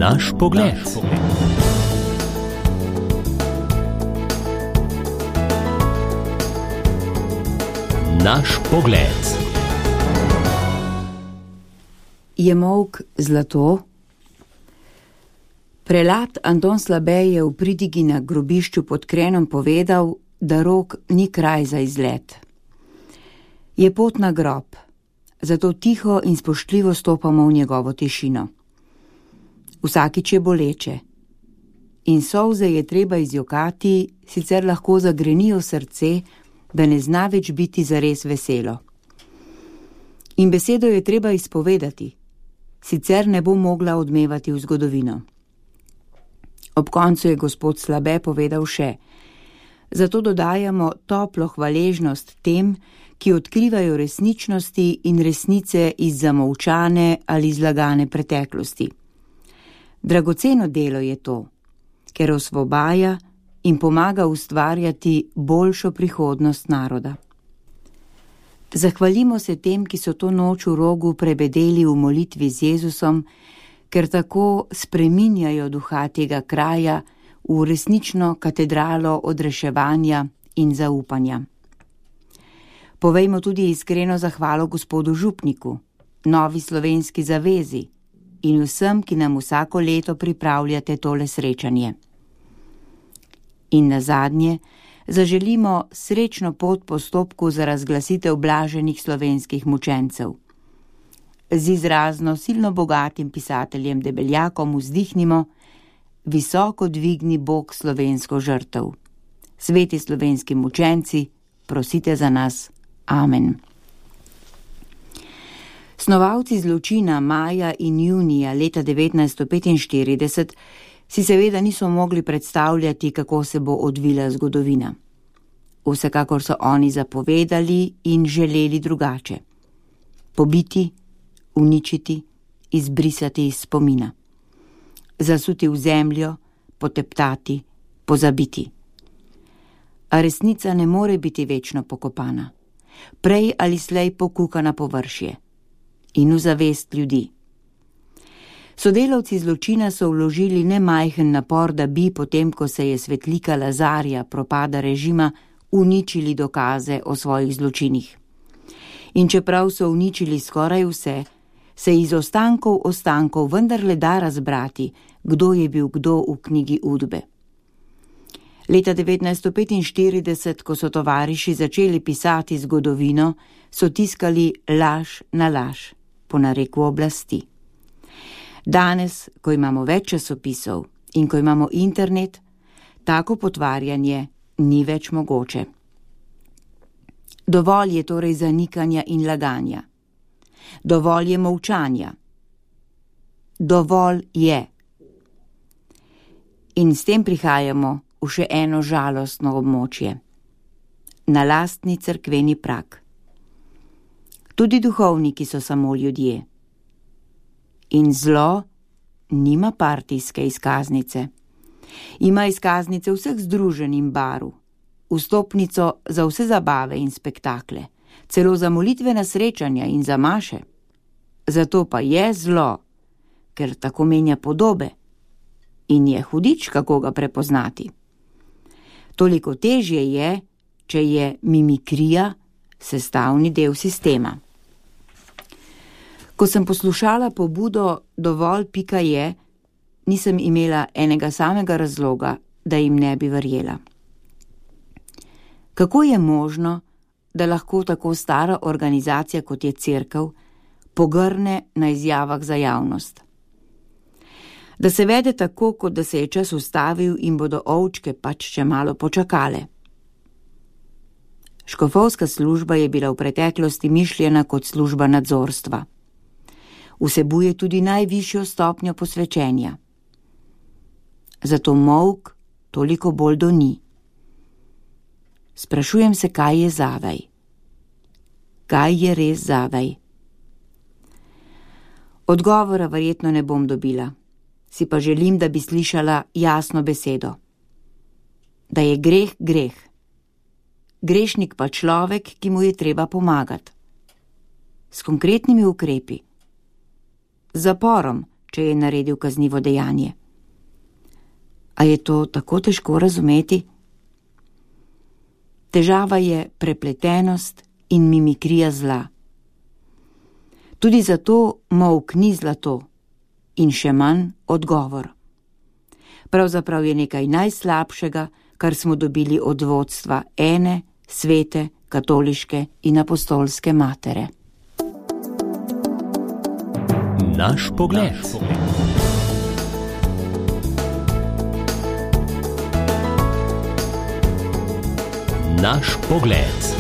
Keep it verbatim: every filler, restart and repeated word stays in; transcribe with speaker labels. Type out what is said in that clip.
Speaker 1: Naš pogled. Naš pogled.
Speaker 2: Je molk zlato? Prelat Anton Slabej je v pridigi na grobišču pod Krenom povedal, da Rog ni kraj za izlet. Je pot na grob, zato tiho in spoštljivo stopamo v njegovo tišino. Vsakič je boleče in solze je treba izjokati, sicer lahko zagrenijo srce, da ne zna več biti zares veselo. In besedo je treba izpovedati, sicer ne bo mogla odmevati v zgodovino. Ob koncu je gospod Slabe povedal še: zato dodajamo toplo hvaležnost tem, ki odkrivajo resničnosti in resnice iz zamolčane ali zlagane preteklosti. Dragoceno delo je to, ker osvobaja in pomaga ustvarjati boljšo prihodnost naroda. Zahvalimo se tem, ki so to noč v Rogu prebedeli v molitvi z Jezusom, ker tako spreminjajo duha tega kraja v resnično katedralo odreševanja in zaupanja. Povejmo tudi iskreno zahvalo gospodu župniku, Novi slovenski zavezi in vsem, ki nam vsako leto pripravljate tole srečanje. In nazadnje zaželimo srečno pot postopku za razglasitev blaženih slovenskih mučencev. Z izrazno silno bogatim pisateljem Debeljakom vzdihnimo: visoko dvigni Bog slovensko žrtev. Sveti slovenski mučenci, prosite za nas. Amen. Snovalci zločina maja in junija leta devetnajststo petinštirideset si seveda niso mogli predstavljati, kako se bo odvila zgodovina. Vsekakor so oni zapovedali in želeli drugače. Pobiti, uničiti, izbrisati iz spomina. Zasuti v zemljo, poteptati, pozabiti. A resnica ne more biti večno pokopana. Prej ali slej pokuka na površje in v zavest ljudi. Sodelavci zločina so vložili nemajhen napor, da bi, potem ko se je svetlika Lazarja propada režima, uničili dokaze o svojih zločinih. In čeprav so uničili skoraj vse, se iz ostankov ostankov vendarle da razbrati, kdo je bil kdo v knjigi Udbe. Leta devetnajststo petinštirideset, ko so tovariši začeli pisati zgodovino, so tiskali laž na laž, po nareku oblasti. Danes, ko imamo več časopisov in ko imamo internet, tako potvarjanje ni več mogoče. Dovolj je torej zanikanja in laganja. Dovolj je molčanja. Dovolj je. In s tem prihajamo v še eno žalostno območje. Na lastni cerkveni prag. Tudi duhovniki so samo ljudje. In zlo nima partijske izkaznice. Ima izkaznice vseh združenj in barv, vstopnico za vse zabave in spektakle, celo za molitvena srečanja in za maše. Zato pa je zlo, ker tako menja podobe in je hudič, kako ga prepoznati. Toliko težje je, če je mimikrija sestavni del sistema. Ko sem poslušala pobudo Dovolj pika je, nisem imela enega samega razloga, da jim ne bi verjela. Kako je možno, da lahko tako stara organizacija, kot je cerkev, pogrne na izjavah za javnost? Da se vede tako, kot da se je čas ustavil in bodo ovčke pač še malo počakale. Škofovska služba je bila v preteklosti mišljena kot služba nadzorstva. Vsebuje tudi najvišjo stopnjo posvečenja. Zato molk toliko bolj doni. Sprašujem se, kaj je zavaj. Kaj je res zavaj? Odgovora verjetno ne bom dobila, si pa želim, da bi slišala jasno besedo. Da je greh greh. Grešnik pa človek, ki mu je treba pomagati. S konkretnimi ukrepi. Z zaporom, če je naredil kaznivo dejanje. A je to tako težko razumeti? Težava je prepletenost in mimikrija zla. Tudi zato molk ni zlato in še manj odgovor. Pravzaprav je nekaj najslabšega, kar smo dobili od vodstva ene, svete, katoliške in apostolske matere.
Speaker 1: Naš pogled. Naš pogled.